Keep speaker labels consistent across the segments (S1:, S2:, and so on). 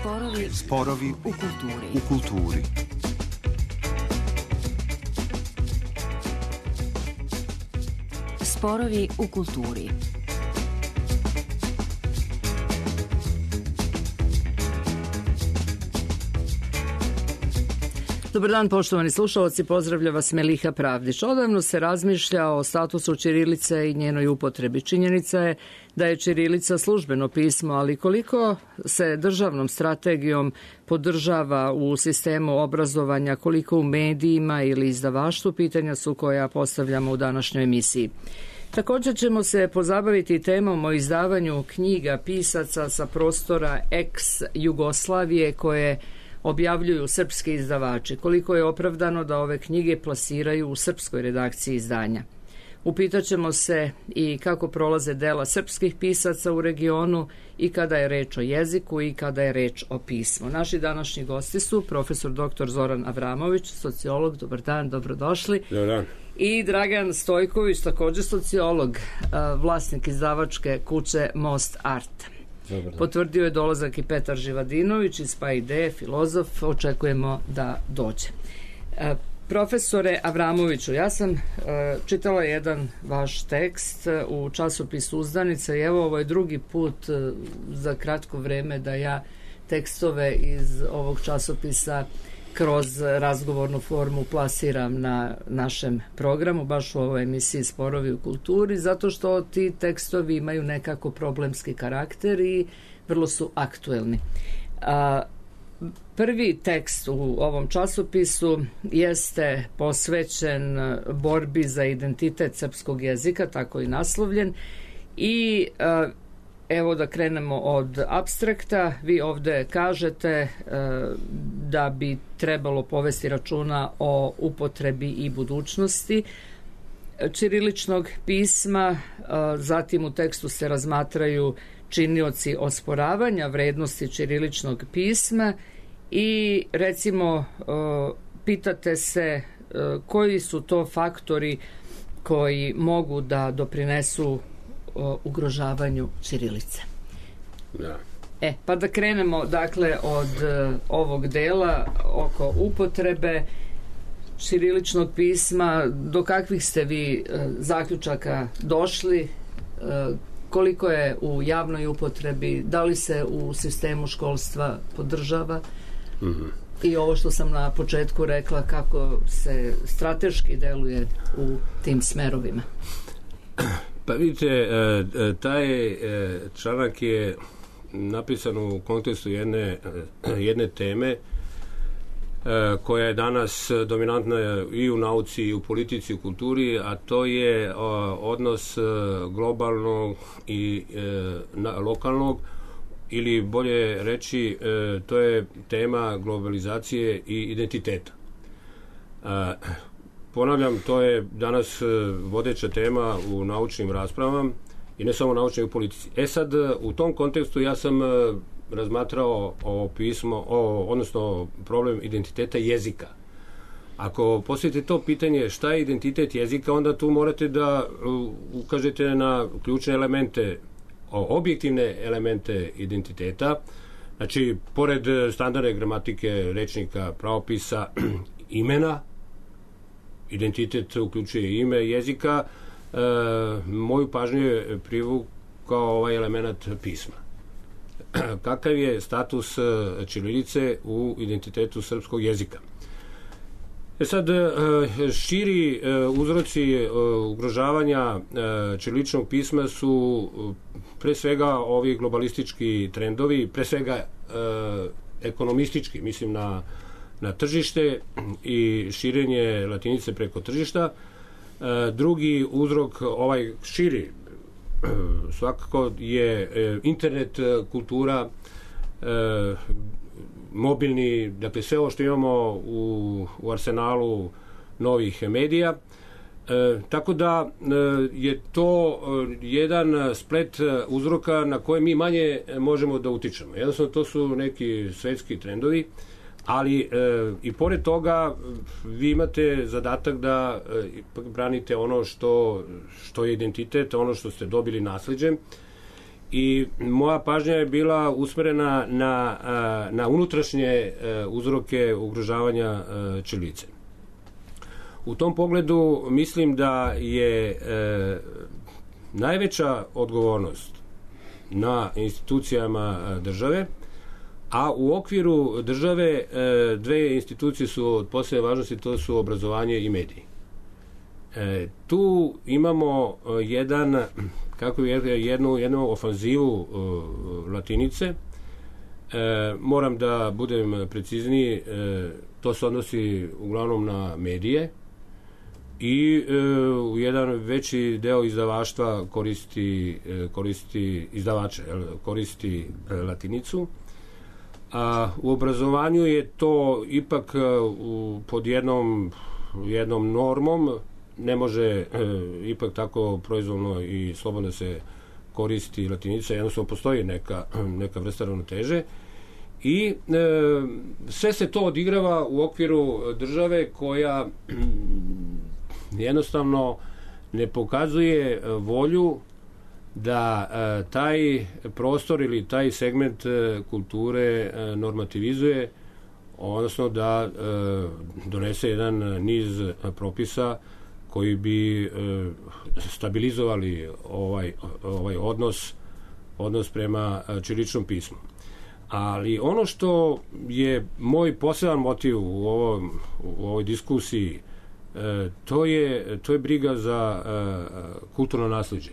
S1: Sporovi u kulturi.
S2: Sporovi u kulturi. Dobar dan, poštovani slušalci, pozdravlja vas Meliha Pravdić. Odavno se razmišlja o statusu ćirilice i njenoj upotrebi. Činjenica je da je ćirilica službeno pismo, ali koliko se državnom strategijom podržava u sistemu obrazovanja, koliko u medijima ili izdavaštvu, pitanja su koja postavljamo u današnjoj emisiji. Također ćemo se pozabaviti temom o izdavanju knjiga pisaca sa prostora ex-Jugoslavije koje objavljuju srpski izdavači. Koliko je opravdano da ove knjige plasiraju u srpskoj redakciji izdanja. Upitaćemo se i kako prolaze dela srpskih pisaca u regionu i kada je reč o jeziku i kada je reč o pismu. Naši današnji gosti su profesor dr. Zoran Avramović, sociolog. Dobar dan, dobrodošli.
S3: Dobar dan.
S2: I Dragan Stojković, također sociolog, vlasnik izdavačke kuće Most Art. Potvrdio je dolazak i Petar Živadinović iz PAIDE, filozof. Očekujemo da dođe. Profesore Avramoviću, ja sam čitala jedan vaš tekst u časopisu Uzdanica i evo ovo je drugi put za kratko vreme da ja tekstove iz ovog časopisa kroz razgovornu formu plasiram na našem programu, baš u ovoj emisiji Sporovi u kulturi, zato što ti tekstovi imaju nekako problemski karakter i vrlo su aktuelni. Prvi tekst u ovom časopisu jeste posvećen borbi za identitet srpskog jezika, tako i naslovljen, i evo da krenemo od apstrakta. Vi ovde kažete da bi trebalo povesti računa o upotrebi i budućnosti ćiriličnog pisma, zatim u tekstu se razmatraju činioci osporavanja vrednosti ćiriličnog pisma i recimo pitate se koji su to faktori koji mogu da doprinesu ugrožavanju ćirilice.
S3: Da.
S2: Pa da krenemo dakle od ovog dela oko upotrebe ćiriličnog pisma. Do kakvih ste vi zaključaka došli? Koliko je u javnoj upotrebi? Da li se u sistemu školstva podržava? I ovo što sam na početku rekla, kako se strateški deluje u tim smerovima?
S3: Pa vidite, taj članak je napisan u kontekstu jedne teme koja je danas dominantna i u nauci i u politici i u kulturi, a to je odnos globalnog i lokalnog, ili bolje reći, to je tema globalizacije i identiteta. Ponavljam, to je danas vodeća tema u naučnim raspravama i ne samo naučnim, i u politici. Sad, u tom kontekstu ja sam razmatrao ovo pismo, odnosno problem identiteta jezika. Ako postavite to pitanje šta je identitet jezika, onda tu morate da ukažete na ključne elemente, objektivne elemente identiteta. Znači, pored standardne gramatike, rečnika, pravopisa, imena, identitet uključuje ime jezika, moju pažnju je privukao ovaj element pisma. Kakav je status ćirilice u identitetu srpskog jezika? Sad, širi uzroci ugrožavanja ćiriličnog pisma su pre svega ovi globalistički trendovi, pre svega ekonomistički, mislim na tržište i širenje latinice preko tržišta. Drugi uzrok, ovaj širi, svakako je internet kultura, mobilni, dakle sve ovo što imamo u arsenalu novih medija. Tako da je to jedan splet uzroka na koje mi manje možemo da utičemo. Jednostavno, to su neki svetski trendovi, ali i pored toga vi imate zadatak da branite ono što je identitet, ono što ste dobili nasleđem i moja pažnja je bila usmerena na unutrašnje uzroke ugrožavanja ćirilice. U tom pogledu mislim da je najveća odgovornost na institucijama države, a u okviru države dve institucije su od posebne važnosti, to su obrazovanje i mediji. Tu imamo jednu ofanzivu latinice. Moram da budem precizniji, to se odnosi uglavnom na medije i jedan veći deo izdavaštva koristi izdavače, koristi latinicu. A u obrazovanju je to ipak pod jednom normom, ne može ipak tako proizvoljno i slobodno se koristi latinica, jednostavno postoji neka vrsta ravnoteže i sve se to odigrava u okviru države koja jednostavno ne pokazuje volju da taj prostor ili taj segment kulture normativizuje, odnosno da donese jedan niz propisa koji bi stabilizovali ovaj odnos prema ćiriličnom pismu. Ali ono što je moj poseban motiv u ovoj diskusiji, to je briga za kulturno naslijeđe.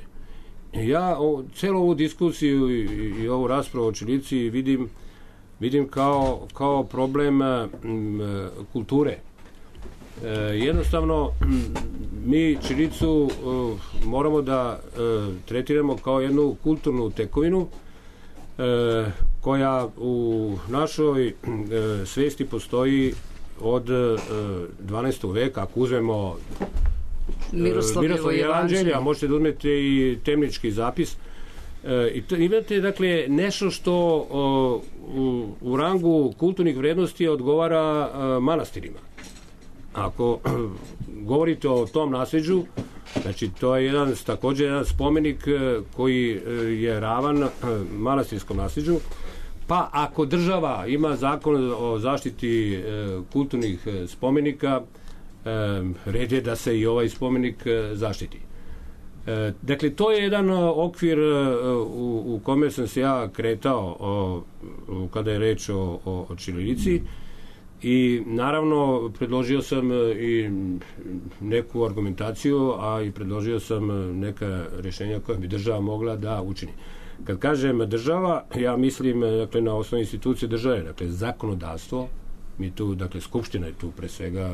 S3: Ja celu ovu diskusiju i ovu raspravu o ćirilici vidim kao problem kulture. Jednostavno, mi ćirilicu moramo da tretiramo kao jednu kulturnu tekovinu koja u našoj svesti postoji od 12. veka. Ako uzmemo Miroslavljevo evanđelje, a možete da uzmete i temnički zapis. Imate, dakle, nešto što u rangu kulturnih vrednosti odgovara manastirima. Ako govorite o tom nasleđu, znači to je također jedan spomenik koji je ravan manastirskom nasleđu, pa ako država ima zakon o zaštiti kulturnih spomenika, red je da se i ovaj spomenik zaštiti. Dakle, to je jedan okvir u kome sam se ja kretao kada je reč o ćirilici i naravno predložio sam i neku argumentaciju, a i predložio sam neka rješenja koja bi država mogla da učini. Kad kažem država, ja mislim, dakle, na osnovne institucije države, dakle zakonodavstvo, mi tu, dakle, Skupština je tu pre svega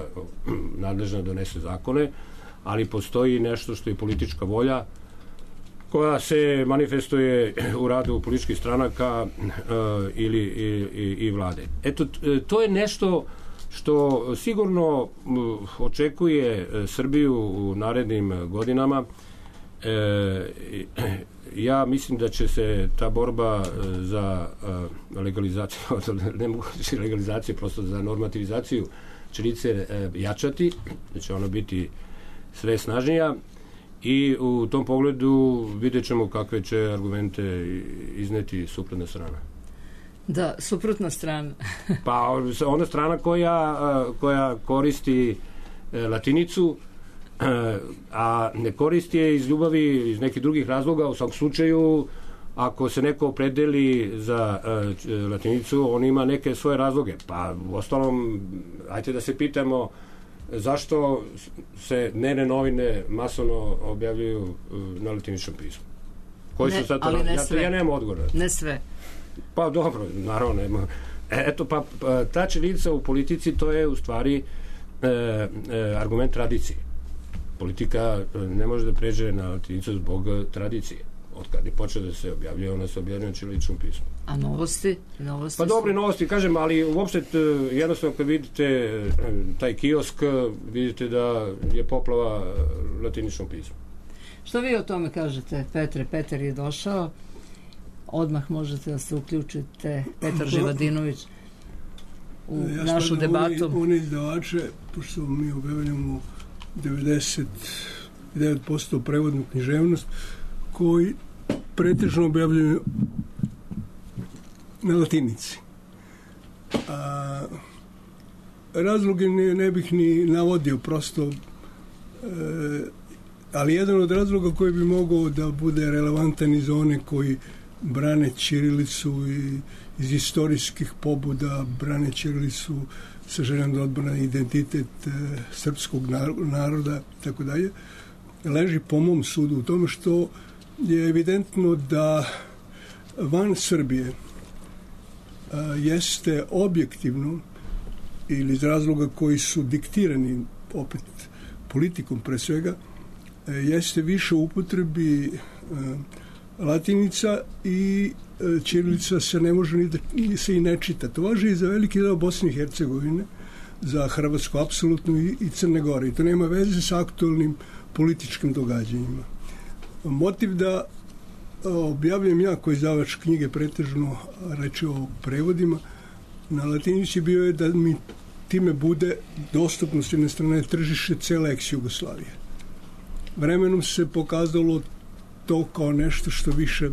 S3: nadležna da donese zakone, ali postoji nešto što je politička volja koja se manifestuje u radu političkih stranaka i vlade. Eto, to je nešto što sigurno očekuje Srbiju u narednim godinama. Ja mislim da će se ta borba za legalizaciju, ne mogu reći legalizaciju, prosto za normativizaciju ćirilice jačati, da će ona biti sve snažnija i u tom pogledu vidjet ćemo kakve će argumente izneti suprotna strana.
S2: Da, suprotna strana.
S3: Pa ona strana koja koristi latinicu, a ne koristi je iz ljubavi, iz nekih drugih razloga. U svakom slučaju, ako se neko opredeli za latinicu, on ima neke svoje razloge. Pa u ostalom, ajte da se pitamo zašto se dnevne novine masovno objavljuju na latiničnom pismu. Koji su sad to? Ja nemam odgovor.
S2: Ne sve.
S3: Pa dobro, naravno nema. Eto, pa ta ćirilica u politici, to je u stvari argument tradicije. Politika ne može da pređe na latinicu zbog tradicije. Od kada je počeo da se objavljuje, ona se objavljuje na ćiriličnom pismu.
S2: A novosti?
S3: Pa dobre novosti, kažem, ali uopšte jednostavno kad vidite taj kiosk, vidite da je poplava latiničnom pismu.
S2: Što vi o tome kažete, Petre? Petar je došao. Odmah možete da se uključite, Petar Živadinović, u našu debatu.
S4: One izdavače, pošto mi objavljamo 99% prevodnu književnost, koji pretežno objavljuju na latinici. Razloge ne bih ni navodio, prosto, ali jedan od razloga koji bi mogao da bude relevantan iz one koji brane ćirilicu i iz istorijskih pobuda brane ćirilicu sa željom da odbrane identitet srpskog naroda i tako dalje, leži po mom sudu u tome što je evidentno da van Srbije jeste objektivno ili iz razloga koji su diktirani opet politikom pre svega, jeste više u upotrebi latinica i ćirilica se ne može ni se i ne čita. To važi i za veliki deo Bosne i Hercegovine, za Hrvatsku apsolutno i Crne Gore. I to nema veze sa aktualnim političkim događanjima. Motiv da objavljam ja koji izdavač knjige pretežno reči o prevodima na latinici bio je da mi time bude dostupno s jedne strane tržište cele ex-Jugoslavije. Vremenom se pokazalo to kao nešto što više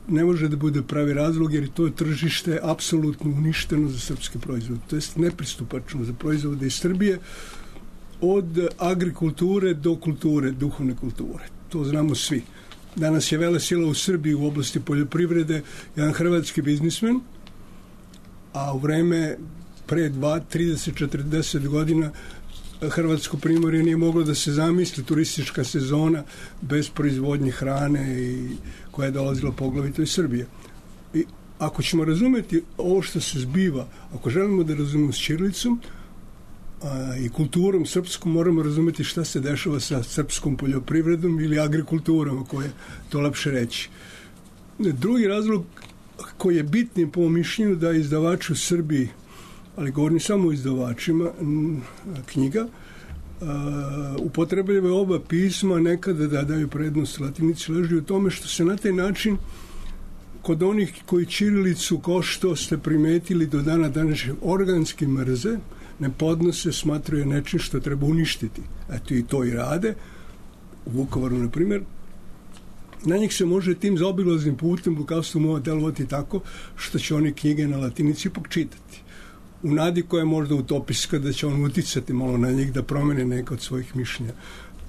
S4: ne može da bude pravi razlog, jer to je tržište apsolutno uništeno za srpske proizvode. To je nepristupačno za proizvode iz Srbije, od agrikulture do kulture, duhovne kulture. To znamo svi. Danas je velesila u Srbiji u oblasti poljoprivrede jedan hrvatski biznismen, a u vreme pre 30, 40 godina Hrvatsko primorje nije moglo da se zamisli turistička sezona bez proizvodnje hrane i koja je dolazila poglavito iz Srbije. I ako ćemo razumeti ovo što se zbiva, ako želimo da razumemo s ćirilicom i kulturom srpskom, moramo razumeti šta se dešava sa srpskom poljoprivredom ili agrikulturom, ako je to lepše reći. Drugi razlog koji je bitni po mišljenju da izdavači u Srbiji, ali govorim samo o izdavačima knjiga, upotrebljavaju oba pisma, nekada da daju prednost latinici, leži u tome što se na taj način kod onih koji ćirilicu, kao što ste primetili do dana današnjeg, organski mrze, ne podnose, smatraju nečim što treba uništiti. Eto i to i rade. U Vukovaru, na primjer, na njih se može tim zaobilaznim putem lukavstvom mora delovati tako što će oni knjige na latinici ipak čitati. U nadi koja je možda utopijska da će on uticati malo na njih da promene neka od svojih mišljenja.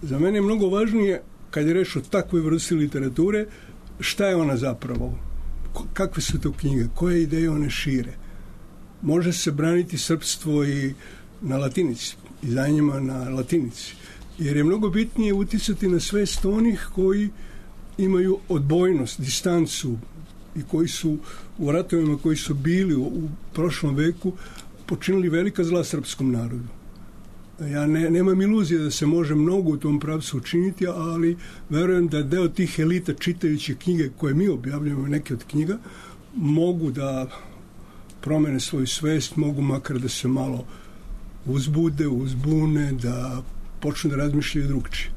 S4: Za mene je mnogo važnije, kad je reč o takvoj vrsti literature, šta je ona zapravo? Kakve su to knjige? Koje ideje one šire? Može se braniti srpstvo i na latinici, izdanjima na latinici. Jer je mnogo bitnije uticati na svest onih koji imaju odbojnost, distancu i koji su u ratovima koji su bili u prošlom veku počinili velika zla srpskom narodu. Ja nemam iluzije da se može mnogo u tom pravcu učiniti, ali verujem da deo tih elita čitajući knjige koje mi objavljamo, neke od knjiga, mogu da promene svoju svest, mogu makar da se malo uzbune, da počnu da razmišljaju drugčije.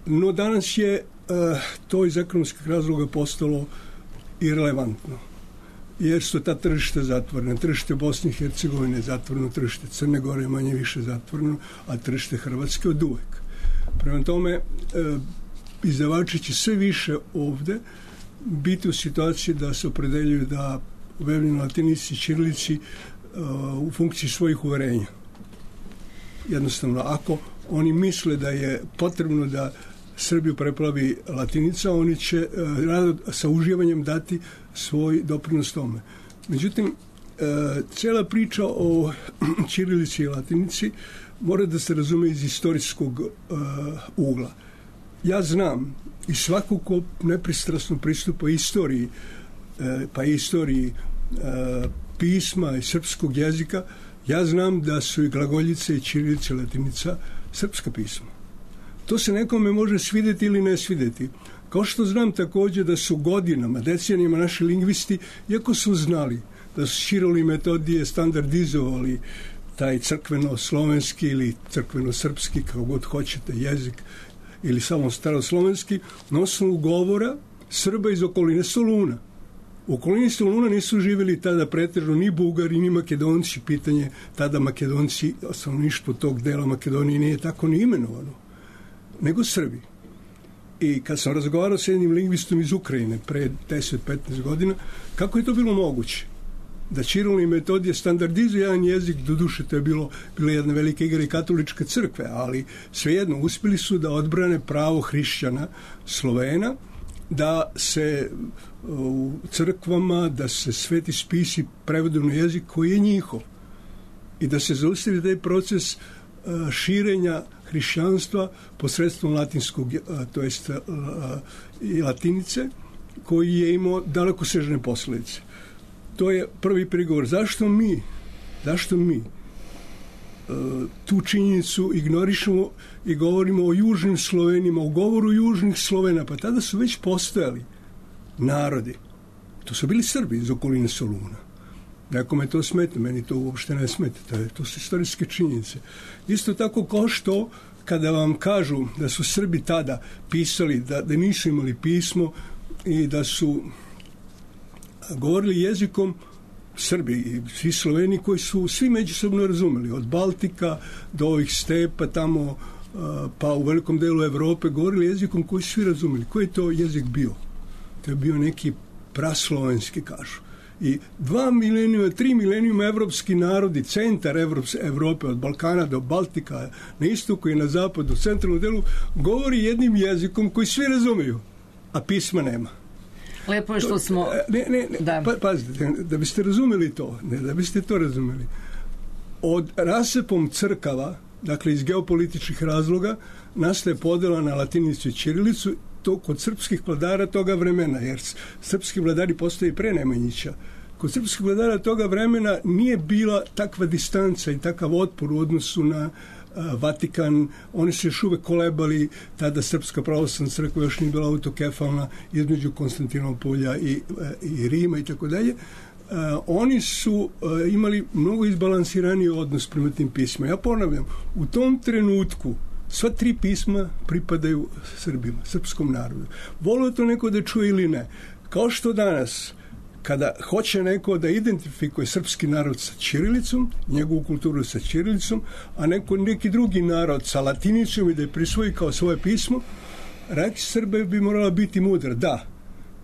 S4: No danas je to iz ekonomskih razloga postalo irelevantno, jer su ta tržišta zatvorena. Tržište Bosne i Hercegovine je zatvoreno, tržište Crne Gore je manje više zatvoreno, a tržište Hrvatske od uvek. Prema tome, izdavači će sve više ovde biti u situaciji da se opredeljuju da objavljaju na latinici i ćirilici u funkciji svojih uverenja. Jednostavno, ako oni misle da je potrebno da Srbiju preplavi latinica, oni će rado sa uživanjem dati svoj doprinos tome. Međutim, cela priča o ćirilici i latinici mora da se razume iz istorijskog ugla. Ja znam i svako ko nepristrasno pristupa istoriji, pa i istoriji pisma i srpskog jezika, ja znam da su i glagoljice i ćirilica i latinica srpska pisma. To se nekome može svideti ili ne svideti. Kao što znam također da su godinama, decenijama naši lingvisti, iako su znali da su Ćiril i Metodije standardizovali taj crkveno-slovenski ili crkveno-srpski, kako god hoćete, jezik, ili samo staroslovenski, na osnovu govora Srba iz okoline Soluna. U okolini Soluna nisu živjeli tada pretežno ni Bugari, ni Makedonci. Pitanje tada Makedonci, stanovništvo tog dela Makedonije nije tako ni imenovano, nego Srbi. I kad sam razgovarao s jednim lingvistom iz Ukrajine pre 10-15 godina, kako je to bilo moguće? Da Ćiril i Metodije standardizuje jedan jezik, doduše to je bila jedna velika igra i katoličke crkve, ali svejedno uspjeli su da odbrane pravo hrišćana Slovena, da se u crkvama, da se sveti spisi prevedu na jezik koji je njihov i da se zaustavi taj proces širenja hrišćanstva posredstvom latinskog, to jest i latinice, koji je imao dalekosežne posljedice. To je prvi prigovor. Zašto mi tu činjenicu ignorišemo i govorimo o južnim Slovenima, o govoru južnih Slovena? Pa tada su već postojali narodi. To su bili Srbi iz okoline Soluna. Nekome to smeta, meni to uopšte ne smeta. To su istorijske činjenice. Isto tako kao što kada vam kažu da su Srbi tada pisali, da nisu imali pismo i da su govorili jezikom Srbi i svi Sloveni koji su svi međusobno razumeli, od Baltika do ovih stepa tamo, pa u velikom delu Evrope, govorili jezikom koji su svi razumeli. Koji je to jezik bio? To je bio neki praslovenski, kažu. I 2 milenijuma, 3 milenijuma evropski narodi, centar Evrope, od Balkana do Baltika, na istoku i na zapadu, u centralnom delu, govori jednim jezikom koji svi razumiju, a pisma nema.
S2: Lepo je što smo...
S4: Pazite, da biste razumeli to, da biste to razumeli. Od rasepom crkava, dakle iz geopolitičkih razloga, nastaje podela na latinicu i ćirilicu, to kod srpskih vladara toga vremena, jer srpski vladari postoje i pre Nemanjića. Kod srpskih vladara toga vremena nije bila takva distanca i takav otpor u odnosu na Vatikan. Oni su još uvek kolebali, tada Srpska pravoslavna crkva još nije bila autokefalna između Konstantinopolja i Rima i tako dalje. Oni su imali mnogo izbalansiraniji odnos prema tim pismima. Ja ponavljam, u tom trenutku sva 3 pisma pripadaju Srbima, srpskom narodu. Volio to neko da čuje ili ne. Kao što danas, kada hoće neko da identifikuje srpski narod sa ćirilicom, njegovu kulturu sa ćirilicom, a neki drugi narod sa latinicom i da je prisvoji kao svoje pismo, reći Srbe bi morala biti mudra. Da,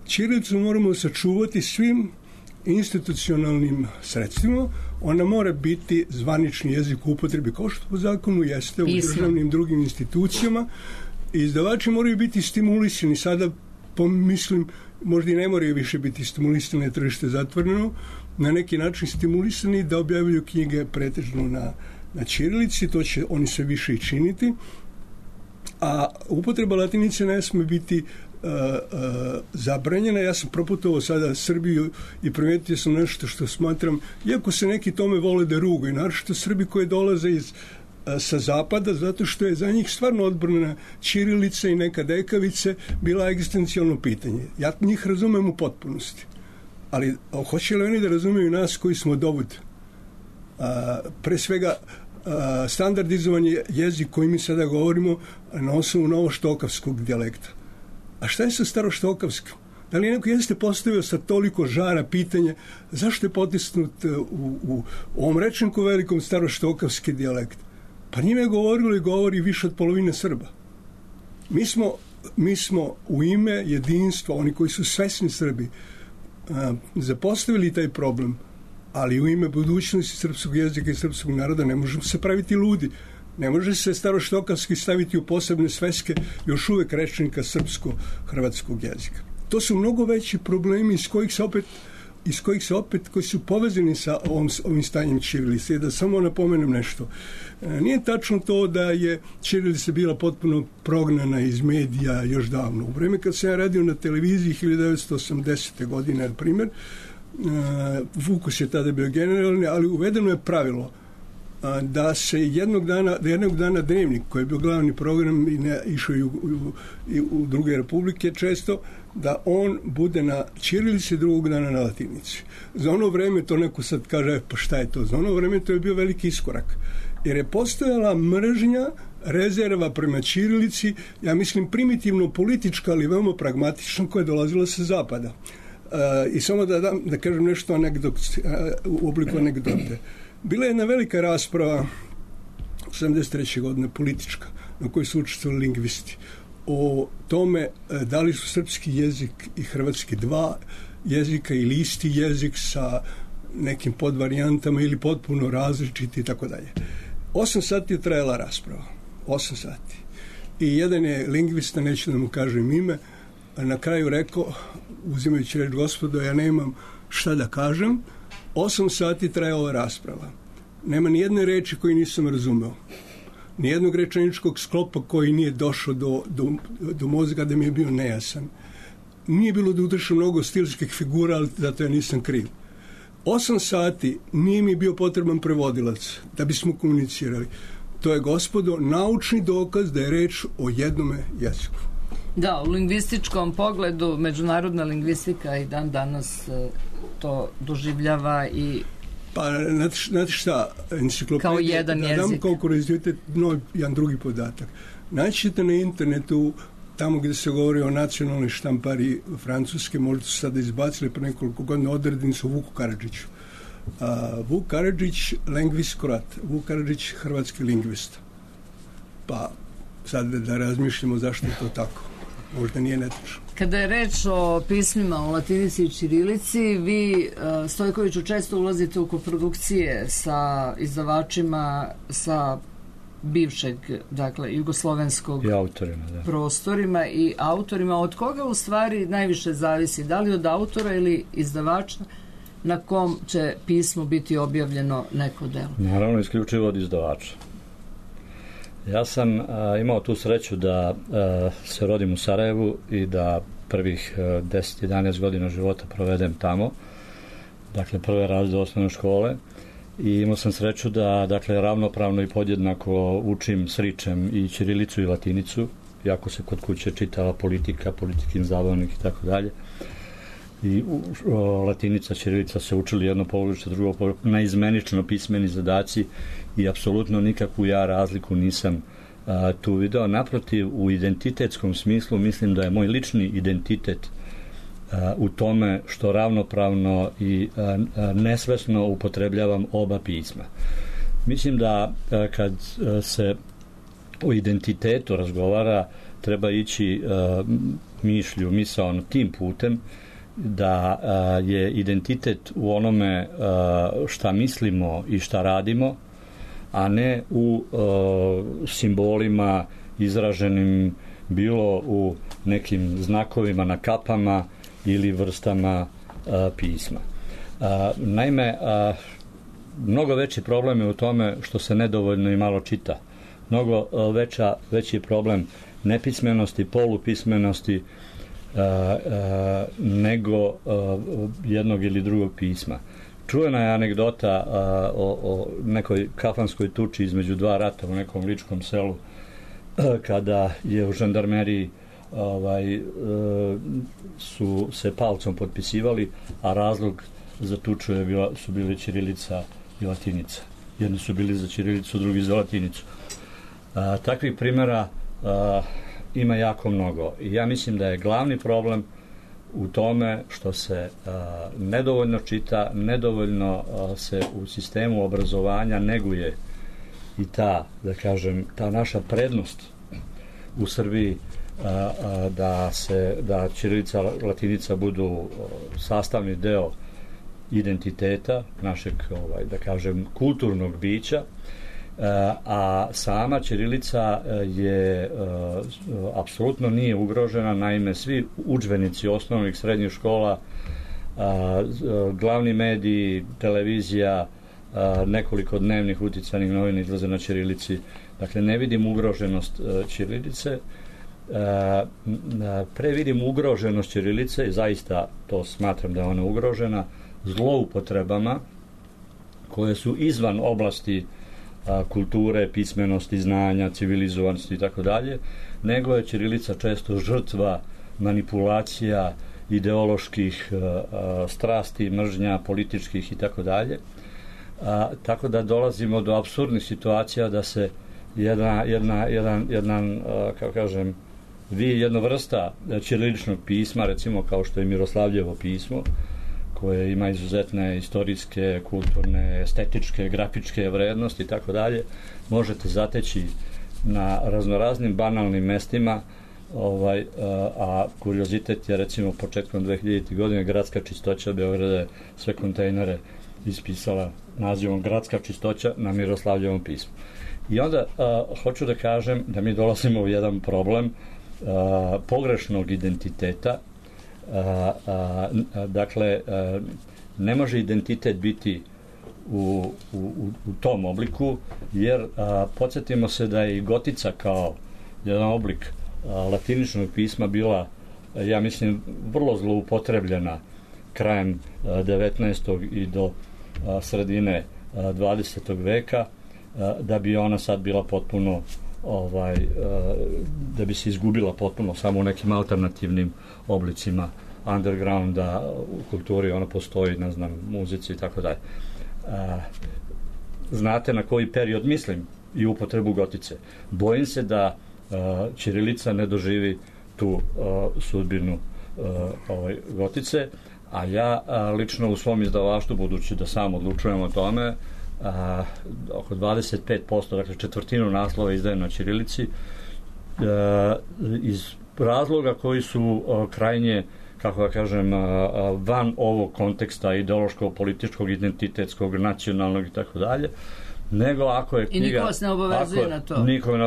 S4: ćirilicu moramo sačuvati svim institucionalnim sredstvima, ona mora biti zvanični jezik u upotrebi, kao što po zakonu jeste u državnim drugim institucijama. Izdavači moraju biti stimulisani. Sada pomislim, možda i ne moraju više biti stimulisani, na tržište zatvoreno, na neki način stimulisani da objavljuju knjige pretežno na ćirilici, to će oni sve više i činiti, a upotreba latinice ne sme biti zabranjena. Ja sam proputovao sada Srbiju i primetio sam nešto što smatram, iako se neki tome vole da rugaju, naročito Srbi koji dolaze sa zapada, zato što je za njih stvarno odbrana ćirilica i neka dekavice bila egzistencijalno pitanje. Ja njih razumem u potpunosti. Ali hoće li oni da razumeju nas koji smo dovod? Pre svega, standardizovan je jezik koji mi sada govorimo na osnovu novoštokavskog dijalekta. A šta je sa staroštokavskim? Da li neko jeste postavio sa toliko žara pitanje zašto je potisnut u ovom rečniku velikom staroštokavski dijalekt? Pa njime je govorilo i govori više od polovine Srba. Mi smo u ime jedinstva, oni koji su svesni Srbi, zapostavili taj problem, ali u ime budućnosti srpskog jezika i srpskog naroda ne možemo se praviti ludi. Ne može se staroštokavski staviti u posebne sveske još uvek rečnika srpsko-hrvatskog jezika. To su mnogo veći problemi koji su povezani sa ovim stanjem ćirilice. Da samo napomenem nešto. Nije tačno to da je ćirilica bila potpuno prognana iz medija još davno. U vreme kad sam ja radio na televiziji 1980. godine, na primjer, Vukus je tada bio generalni, ali uvedeno je pravilo da se jednog dana Dnevnik, koji je bio glavni program i išao i u druge republike često, da on bude na ćirilici, drugog dana na latinici. Za ono vreme, to neko sad kaže, pa šta je to? Za ono vreme to je bio veliki iskorak. Jer je postojala mržnja, rezerva prema ćirilici, ja mislim primitivno politička, ali veoma pragmatična, koja je dolazila sa zapada. I samo da kažem nešto u obliku anegdote. Bila je jedna velika rasprava 73. godine politička, na kojoj su učestvovali lingvisti, o tome da li su srpski jezik i hrvatski dva jezika ili isti jezik sa nekim podvarijantama ili potpuno različiti i tako dalje. 8 sati je trajala rasprava. 8 sati. I jedan je lingvista, neću da mu kažem ime, na kraju rekao, uzimajući reč, gospodo, ja nemam šta da kažem, 8 sati trajala rasprava. Nema ni jedne reči koju nisam razumeo. Nijednog rečeničkog sklopa koji nije došao do mozga da mi je bio nejasan. Nije bilo da utršam mnogo stilskih figura, ali zato ja nisam kriv. 8 sati nije mi bio potreban prevodilac da bismo komunicirali. To je, gospodo, naučni dokaz da je reč o jednome jeziku.
S2: Da, u lingvističkom pogledu međunarodna lingvistika i dan danas to doživljava i
S4: pa, znate šta, enciklopedija,
S2: kao jedan jezik.
S4: Da dam kao kuriozitet, jedan drugi podatak. Naćete na internetu, tamo gdje se govori o nacionalnoj štampari Francuske, možda su sada izbacili pre nekoliko godina odrednicu Vuku Karadžiću. Vuk Karadžić, lingvist kroat. Vuk Karadžić, hrvatski lingvista. Pa, sad da razmišljamo zašto je to tako. Možda nije netačno.
S2: Kada je reč o pismima o latinici i ćirilici, vi, Stojkoviću, često ulazite u koprodukcije sa izdavačima sa bivšeg, dakle, jugoslovenskog
S5: i autorima, da.
S2: Prostorima i autorima. Od koga u stvari najviše zavisi? Da li od autora ili izdavača na kom će pismo biti objavljeno neko delo?
S5: Naravno, isključivo od izdavača. Ja sam imao tu sreću da se rodim u Sarajevu i da prvih 10-11 godina života provedem tamo, dakle prve razrede osnovne škole, i imao sam sreću da, dakle, ravnopravno i podjednako učim sričem i ćirilicu i latinicu, iako se kod kuće čitala politika, politikin zabavnik i tako dalje. I latinica, ćirilica se učili jedno polovište, drugo polovište, naizmenično pismeni zadaci i apsolutno nikakvu ja razliku nisam tu video. Naprotiv, u identitetskom smislu mislim da je moj lični identitet u tome što ravnopravno i nesvesno upotrebljavam oba pisma. Mislim da kad se o identitetu razgovara, treba ići misaono tim putem da je identitet u onome šta mislimo i šta radimo, a ne u simbolima izraženim bilo u nekim znakovima na kapama ili vrstama pisma. Naime, mnogo veći problem je u tome što se nedovoljno i malo čita. Mnogo veći je problem nepismenosti, polupismenosti nego jednog ili drugog pisma. Čujena je anegdota o nekoj kafanskoj tuči između dva rata u nekom ličkom selu, kada je u žandarmeriji su se palcom potpisivali, a razlog za tuču su bili ćirilica i latinica. Jedni su bili za ćirilicu, drugi za latinicu. Takvih primjera ima jako mnogo. I ja mislim da je glavni problem u tome što se nedovoljno čita, nedovoljno se u sistemu obrazovanja neguje i ta naša prednost u Srbiji da ćirilica, latinica budu sastavni deo identiteta našeg, kulturnog bića, a sama ćirilica je apsolutno nije ugrožena. Naime, svi udžbenici osnovnih srednjih škola, glavni mediji, televizija, nekoliko dnevnih uticajnih novina izlaze na ćirilici. Dakle, ne vidim ugroženost ćirilice. Pre vidim ugroženost ćirilice i zaista to smatram da je ona ugrožena zloupotrebama koje su izvan oblasti kulture, pismenosti, znanja, civilizovanosti i tako dalje, nego je ćirilica često žrtva manipulacija, ideoloških strasti, mržnja, političkih i tako dalje. Tako da dolazimo do apsurdnih situacija da se jedna vrsta ćiriličnog pisma, recimo kao što je Miroslavljevo pismo, koje ima izuzetne istorijske, kulturne, estetičke, grafičke vrednosti i tako dalje, možete zateći na raznoraznim banalnim mestima a kuriozitet je recimo početkom 2000. godine gradska čistoća Beograda je sve kontejnere ispisala nazivom Gradska čistoća na Miroslavljevom pismu. I onda hoću da kažem da mi dolazimo u jedan problem pogrešnog identiteta. Dakle, ne može identitet biti u tom obliku, jer podsjetimo se da je i gotica kao jedan oblik latiničnog pisma bila, ja mislim, vrlo zloupotrebljena krajem 19. i do sredine 20. veka, da bi ona sad bila potpuno da bi se izgubila potpuno samo u nekim alternativnim oblicima undergrounda u kulturi, ona postoji, ne znam, muzici i tako dalje. Znate na koji period mislim i upotrebu gotice. Bojim se da ćirilica ne doživi tu sudbinu gotice, a ja lično u svom izdavaštvu, budući da sam odlučujem o tome, oko 25%, dakle četvrtinu naslova izdajem na ćirilici, iz razloga koji su krajnje, kako da kažem, van ovog konteksta ideološkog, političkog, identitetskog, nacionalnog i tako dalje, nego ako je knjiga... I niko vas ne obavezuje na to.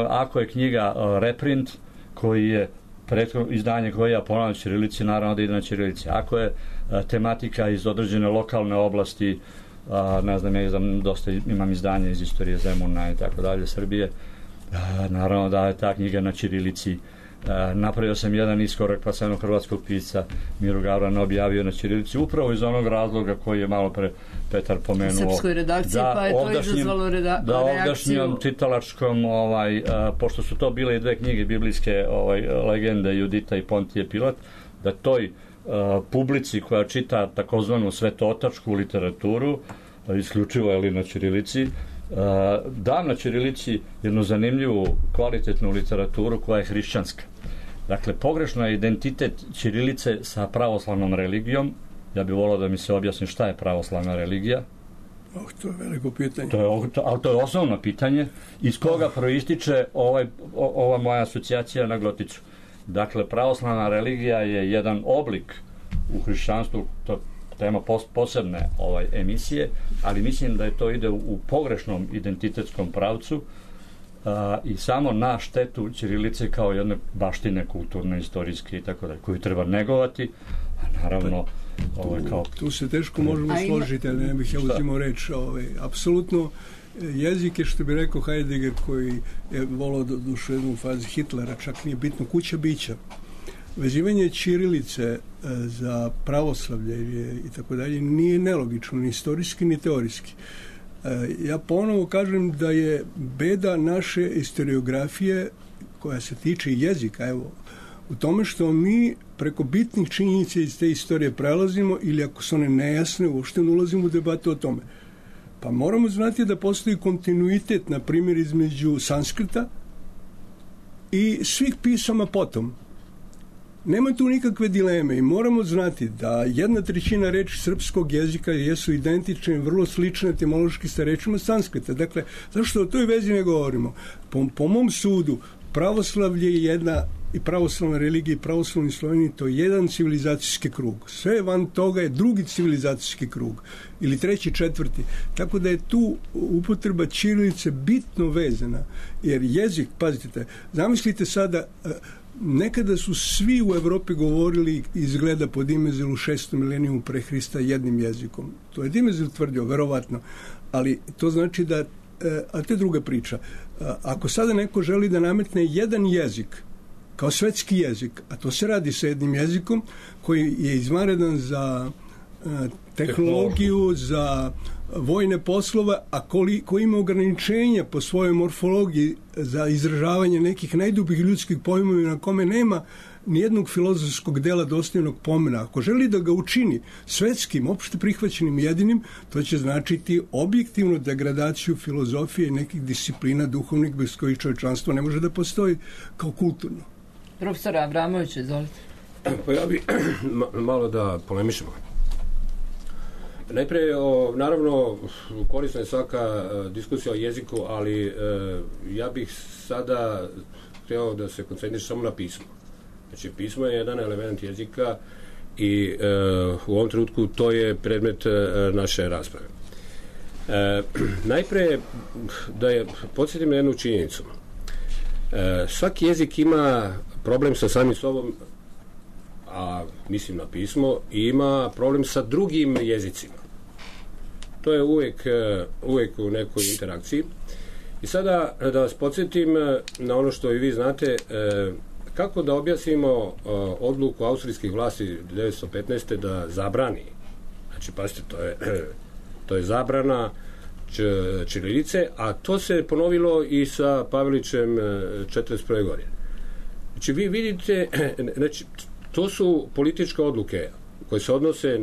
S5: Ako je knjiga reprint, koji je izdanje koje ja ponavljam na ćirilici, naravno da ide na ćirilici. Ako je tematika iz određene lokalne oblasti, ne znam, ja dosta imam izdanje iz istorije Zemuna i tako dalje, Srbije, naravno da je ta knjiga na ćirilici. Napravio sam jedan iskorak pa sam hrvatskog pisca Miru Gavrana objavio na ćirilici upravo iz onog razloga koji je malo pre Petar pomenuo.
S2: Srpskoj redakciji, pa je to izazvalo reakciju.
S5: Da ovdašnjom čitalačkom, pošto su to bile i dve knjige biblijske legende, Judita i Pontije Pilat, da toj publici koja čita takozvanu svetootačku literaturu, isključivo je li na ćirilici, dam na ćirilici jednu zanimljivu kvalitetnu literaturu koja je hrišćanska. Dakle, pogrešno je identitet ćirilice sa pravoslavnom religijom. Ja bih volao da mi se objasni šta je pravoslavna religija.
S4: To je veliko pitanje.
S5: Ali to je osnovno pitanje iz koga proističe ova moja asocijacija na goticu. Dakle, pravoslavna religija je jedan oblik u hrišćanstvu, to tema posebne emisije, ali mislim da je to ide u pogrešnom identitetskom pravcu i samo na štetu ćirilice kao jedne baštine kulturne, istorijske i tako dalje, koju treba negovati, a naravno
S4: tu se teško možemo složiti, ali ne bih ja uzimao reč. Apsolutno, jezik je, što bi rekao Heidegger, koji je volao dušu jednu fazi Hitlera, čak nije bitno kuća bića. Vezivanje ćirilice za pravoslavlje i tako dalje nije nelogično, ni istorijski, ni teorijski. Ja ponovo kažem da je beda naše historiografije koja se tiče jezika, u tome što mi preko bitnih činjenica iz te istorije prelazimo ili ako su one nejasne, uopšte ne ulazimo u debatu o tome. Pa moramo znati da postoji kontinuitet, na primjer, između sanskrita i svih pisama potom. Nema tu nikakve dileme i moramo znati da 1/3 reči srpskog jezika jesu identične, vrlo slične etimološki sa rečima sanskrita. Dakle, zašto o toj vezi ne govorimo? Po mom sudu, pravoslavlje je jedna, i pravoslavna religija i pravoslavni Sloveni, to je jedan civilizacijski krug. Sve van toga je drugi civilizacijski krug. Ili treći, četvrti. Tako da je tu upotreba ćirilice bitno vezana. Jer jezik, pazite, zamislite sada, nekada su svi u Evropi govorili, izgleda po Dimezelu 6. milenijumu pre Hrista jednim jezikom. To je Dimezel tvrdio, verovatno. Ali to znači da, a to je druga priča. Ako sada neko želi da nametne jedan jezik kao svetski jezik, a to se radi sa jednim jezikom koji je izvanredan za tehnologiju, za vojne poslove, a koji ima ograničenja po svojoj morfologiji za izražavanje nekih najdubljih ljudskih pojmova na kome nema nijednog filozofskog dela dostojnog pomena. Ako želi da ga učini svetskim, opšte prihvaćenim jedinim, to će značiti objektivnu degradaciju filozofije i nekih disciplina duhovnih bez kojih čovječanstvo ne može da postoji kao kulturno.
S2: Profesor Avramović, izvolite.
S3: Pa ja bih malo da polemišemo. Najprije, naravno, korisna je svaka diskusija o jeziku, ali ja bih sada htio da se koncentrišem samo na pismo. Znači, pismo je jedan element jezika i u ovom trenutku to je predmet naše rasprave. Najpre da je podsjetim na jednu činjenicu. Svaki jezik ima problem sa samim sobom, a mislim na pismo, i ima problem sa drugim jezicima. To je uvek u nekoj interakciji. I sada da vas podsjetim na ono što i vi znate, kako da objasnimo odluku austrijskih vlasti 1915. da zabrani. Znači, pazite, to je zabrana ćirilice, a to se ponovilo i sa Pavelićem 1941. godine. Znači, vi vidite, znači, to su političke odluke koje se odnose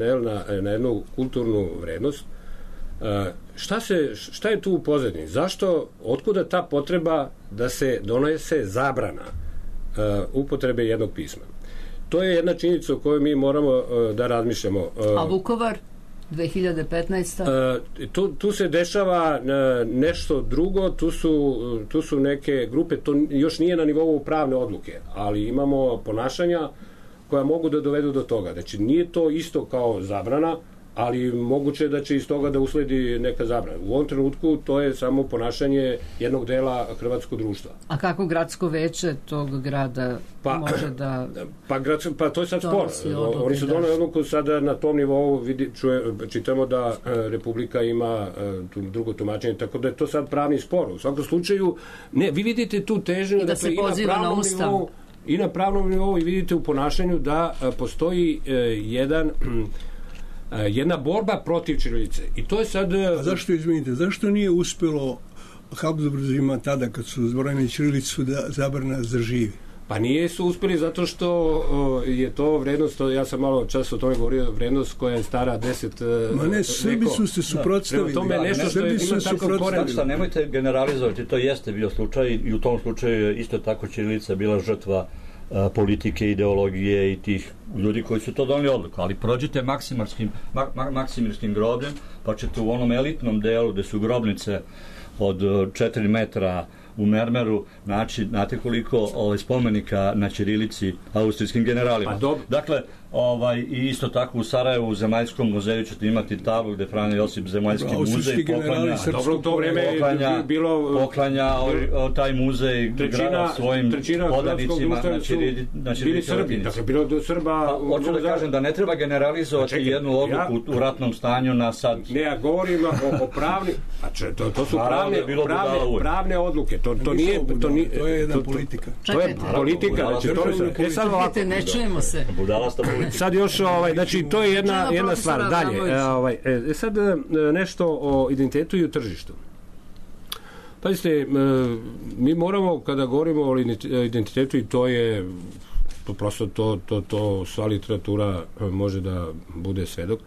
S3: na jednu kulturnu vrednost. Šta je tu u pozadini? Zašto, otkuda ta potreba da se donese zabrana upotrebe jednog pisma? To je jedna činjenica o kojoj mi moramo da razmišljamo.
S2: A Vukovar 2015.
S3: Tu se dešava nešto drugo, tu su neke grupe, to još nije na nivou pravne odluke, ali imamo ponašanja koja mogu da dovedu do toga. Znači, nije to isto kao zabrana, ali moguće da će iz toga da usledi neka zabrana. U ovom trenutku to je samo ponašanje jednog dela hrvatskog društva.
S2: A kako gradsko veće tog grada može da...
S3: Pa to je sad spor. Oni su doneli odluku sada na tom nivou, čitamo da Republika ima drugo tumačenje, tako da je to sad pravni spor. U svakom slučaju, ne, vi vidite tu težnju
S2: da se poziva na Ustav.
S3: I na pravnom nivou i vidite u ponašanju da postoji jedna borba protiv ćirilice. I to je sad...
S4: A zašto nije uspelo Habsburzima tada kad su zbrojili ćirilicu da zabrana zaživi?
S3: Pa nije su uspeli zato što je to vrednost, ja sam malo čas o tome govorio, vrednost koja je stara 10
S4: Ma ne, Srbi su se suprotstavili.
S3: Prema tome nešto što ima takav koren.
S5: Nemojte generalizovati, to jeste bio slučaj i u tom slučaju je isto tako ćirilica bila žrtva politike, ideologije i tih ljudi koji su to doneli odluku. Ali prođite Maksimirskim grobljem, pa ćete u onom elitnom delu gde su grobnice od 4 metra u mermeru, znate koliko spomenika na ćirilici austrijskim generalima. Dakle, i isto tako u Sarajevu, u Zemaljskom muzeju ćete imati tablu gde Franjo Josip Zemaljski muzej poklanja taj muzej svojim podanicima na ćirilici.
S3: Dakle, bilo do Srba...
S5: Hoću da kažem da ne treba generalizovati jednu odluku u ratnom stanju na sad...
S3: Ne, ja govorim o pravni... To su pravne odluke. To
S4: je jedna politika.
S3: To je politika.
S2: Ne čujemo se.
S3: Sad još, znači, to je jedna stvar. Dalje, sad nešto o identitetu i o tržištu. Pazite, mi moramo, kada govorimo o identitetu, i to je, prosto to sva literatura može da bude svedok,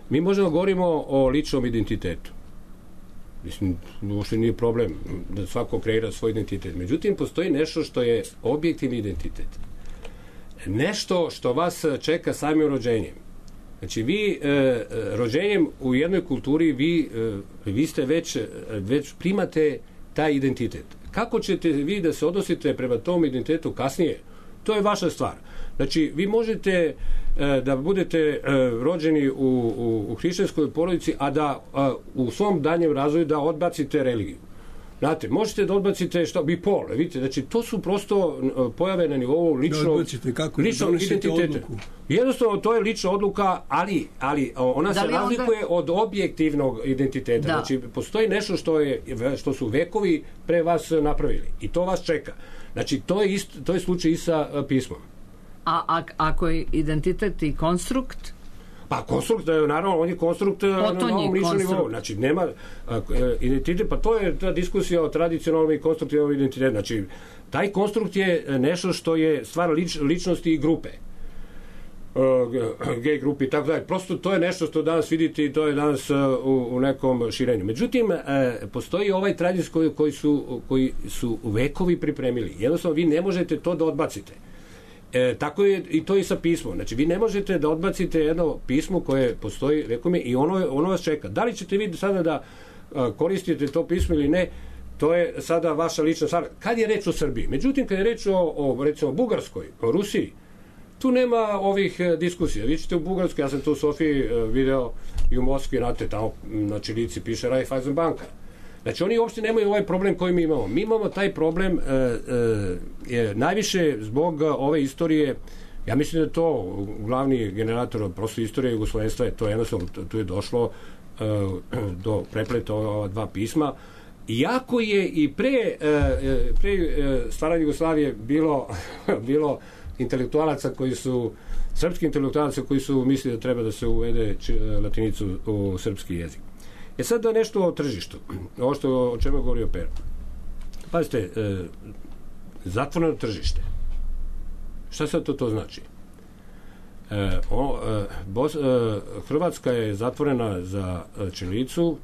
S3: mi možemo govorimo o ličnom identitetu. Mislim, uopšte nije problem da svako kreira svoj identitet. Međutim, postoji nešto što je objektivni identitet. Nešto što vas čeka samim rođenjem. Znači, vi rođenjem u jednoj kulturi vi ste već primate taj identitet. Kako ćete vi da se odnosite prema tom identitetu kasnije? To je vaša stvar. Znači, vi možete da budete rođeni u hrišćanskoj porodici, a da u svom daljem razvoju da odbacite religiju. Znate, možete da odbacite i pol, vidite, znači to su prosto pojave na nivou ličnog identiteta. Jednostavno, to je lična odluka, ali ona se razlikuje od objektivnog identiteta. Znači, postoji nešto što su vekovi pre vas napravili i to vas čeka. Znači, to je slučaj i sa pismom.
S2: A ako je identitet i konstrukt?
S3: Pa konstrukt, naravno, on je konstrukt na novom ličnom nivou. Znači, nema identitet, pa to je ta diskusija o tradicionalnom i konstruktivnom identitetu. Znači, taj konstrukt je nešto što je stvar ličnosti i grupe. Gej grupi i tako dalje. Prosto to je nešto što danas vidite i to je danas u nekom širenju. Međutim, postoji ovaj tradicija koji su vekovi pripremili. Jednostavno, vi ne možete to da odbacite. Tako je i to i sa pismom. Znači, vi ne možete da odbacite jedno pismo koje postoji vekome i ono vas čeka. Da li ćete vi sada da koristite to pismo ili ne, to je sada vaša lična stvar. Kad je reč o Srbiji? Međutim, kad je reč o recimo Bugarskoj, o Rusiji, tu nema ovih diskusija. Vi ćete u Bugarskoj, ja sam tu u Sofiji video i u Moskvi, znate, tamo na čirilici piše Raiffeisen banka. Znači, oni uopšte nemaju ovaj problem koji mi imamo. Mi imamo taj problem najviše zbog ove istorije. Ja mislim da je to glavni generator prosto istorije jugoslovenstva, je to jednostavno, tu je došlo do prepleta ova dva pisma. Iako je i pre stvaranja Jugoslavije bilo intelektualaca koji su, srpski intelektualaca koji su mislili da treba da se uvede latinicu u srpski jezik. Sad da nešto o tržištu, ovo o čemu je govorio Pero. Pazite, zatvoreno tržište. Šta sad to znači? Hrvatska je zatvorena za ćirilicu,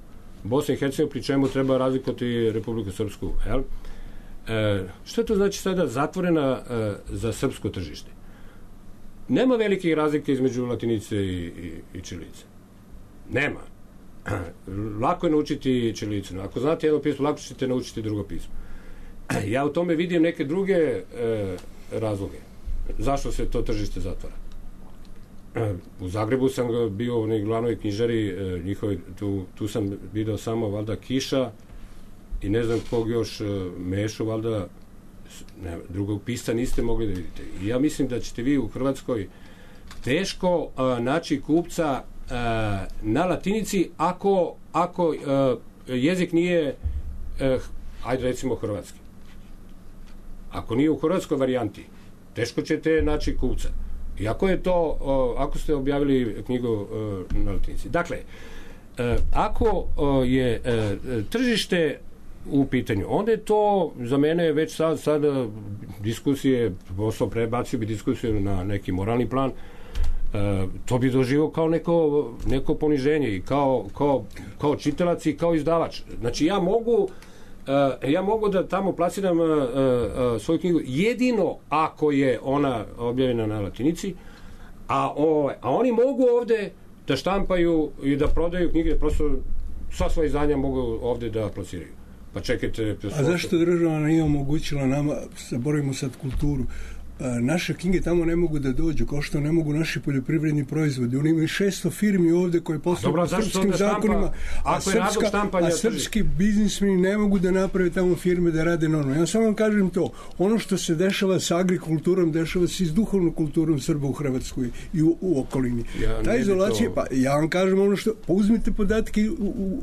S3: Bosna i Hercegovina, pri čemu treba razlikovati Republiku Srpsku. Šta to znači sada zatvorena za srpsko tržište? Nema velikih razlika između latinice i ćirilice. Nema. Lako je naučiti ćirilicu. Ako znate jedno pismo, lako ćete naučiti drugo pismo. Ja u tome vidim neke druge razloge. Zašto se to tržište zatvara? U Zagrebu sam bio u glavnoj knjižari njihovi, tu sam video samo valjda Kiša i ne znam kog još Mešu, valjda drugog pisca niste mogli da vidite. I ja mislim da ćete vi u Hrvatskoj teško naći kupca na latinici ako jezik nije ajde recimo hrvatski. Ako nije u hrvatskoj varijanti, teško ćete naći kupca. Iako je to, ako ste objavili knjigu na latinici. Dakle, ako je tržište u pitanju, onda je to za mene već sad diskusije, posao prebacio bi diskusiju na neki moralni plan, to bi doživio kao neko poniženje i kao čitalac i kao izdavač. Znači ja mogu da tamo plasiram svoju knjigu jedino ako je ona objavljena na latinici, a oni mogu ovde da štampaju i da prodaju knjige, prosto sva svoja izdanja mogu ovde da plasiraju. Pa čekajte...
S4: A zašto država nije omogućila nama, zaboravimo sad kulturu, naše knjige tamo ne mogu da dođu, kao što ne mogu naši poljoprivredni proizvodi. Oni imaju 600 firmi ovde koje posluju po srpskim zakonima, a srpski biznismeni ne mogu da naprave tamo firme da rade normalno. Ja samo vam kažem to, ono što se dešava sa agrikulturom, dešava se i s duhovnom kulturom Srba u Hrvatskoj i u okolini. Ta izolacija, pa ja vam kažem ono što, pa uzmite podatke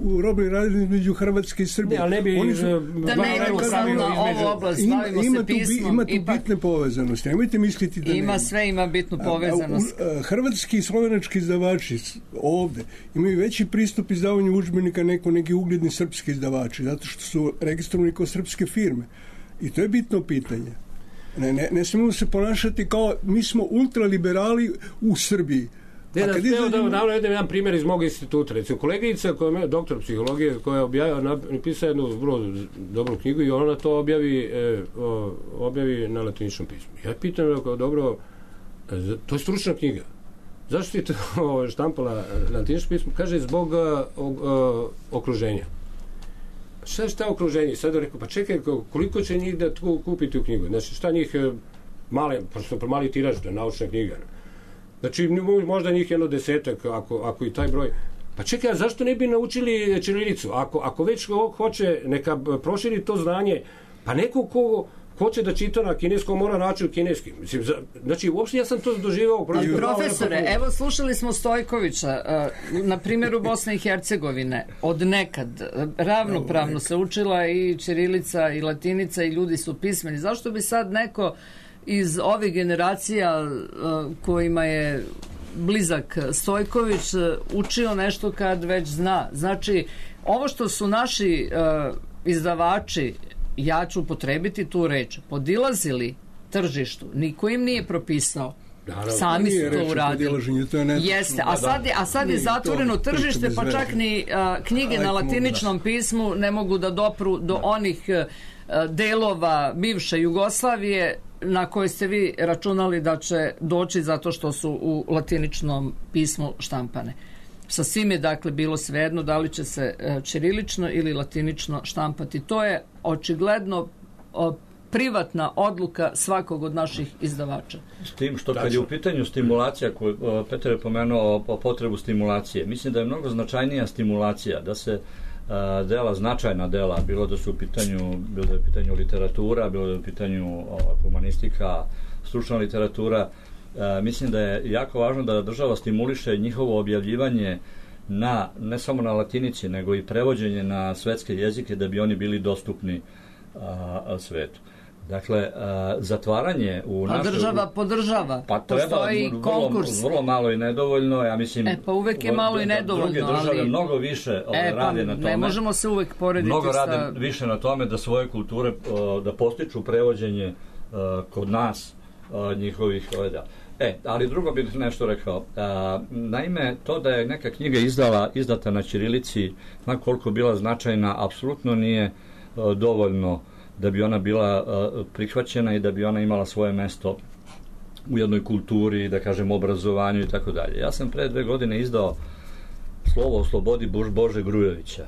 S4: u robnoj razmjeni između Hrvatske i Srbije.
S2: Da ne idemo samo na ovu oblast, bavimo se pismom.
S4: Ima tu bitne povezanosti. Nemojte misliti da
S2: ima sve, ima bitnu povezanost.
S4: Hrvatski i slovenački izdavači ovde imaju veći pristup izdavanju udžbenika neki ugledni srpski izdavači, zato što su registrovani kao srpske firme. I to je bitno pitanje. Ne smemo se ponašati kao mi smo ultraliberali u Srbiji.
S3: Jedan primjer iz mog instituta. Recimo, koleginica koja je doktor psihologije, koja je napisala jednu vrlo dobru knjigu i ona to objavi na latiničnom pismu. Ja pitam, dobro, to je stručna knjiga. Zašto ti to štampala na latiničnom pismu? Kaže, zbog okruženja. Šta okruženje? Sada rekao, pa čekaj, koliko će njih da kupiti u knjigu? Znači, šta njih mali tiraž, da je naučna knjiga. Znači, možda njih jedno 10, ako i taj broj. Pa čekaj, a zašto ne bi naučili ćirilicu? Ako već hoće, neka proširi to znanje, pa neko ko hoće da čita na kineskom mora naći u kineski. Znači, uopšte ja sam to doživao.
S2: Profesore, evo slušali smo Stojkovića, na primjeru Bosne i Hercegovine, od nekad ravnopravno se učila i ćirilica i latinica i ljudi su pismeni. Zašto bi sad neko iz ovih generacija kojima je blizak Stojković učio nešto kad već zna? Znači, ovo što su naši izdavači, ja ću upotrebiti tu reč, podilazili tržištu, niko im nije propisao. Sami su to uradili. Jeste, a sad je zatvoreno tržište, pa čak ni knjige na latiničnom pismu ne mogu da dopru do onih delova bivše Jugoslavije na koje ste vi računali da će doći zato što su u latiničnom pismu štampane. Sa svim je dakle bilo svejedno da li će se ćirilično ili latinično štampati. To je očigledno privatna odluka svakog od naših izdavača.
S5: S tim što kad je u pitanju stimulacija, koju Petar je pomenuo o potrebu stimulacije, mislim da je mnogo značajnija stimulacija, da se dela, značajna dela, bilo da su u pitanju literatura, bilo da je u pitanju humanistika, stručna literatura, mislim da je jako važno da država stimuliše njihovo objavljivanje ne samo na latinici, nego i prevođenje na svetske jezike da bi oni bili dostupni svetu. Dakle, zatvaranje u našoj... A država
S2: podržava. Pa postoji konkurs.
S5: Vrlo malo i nedovoljno, ja mislim...
S2: Pa uvek je malo i nedovoljno,
S5: druge države ali... mnogo više rade na tome.
S2: Ne možemo se uvek porediti
S5: mnogo rade više na tome da svoje kulture, da postiču prevođenje kod nas njihovih... ali drugo bih nešto rekao. Naime, to da je neka knjiga izdata na ćirilici, ma koliko bila značajna, apsolutno nije dovoljno da bi ona bila prihvaćena i da bi ona imala svoje mesto u jednoj kulturi, da kažem, obrazovanju i tako dalje. Ja sam pre 2 godine izdao Slovo o slobodi Bože Grujevića.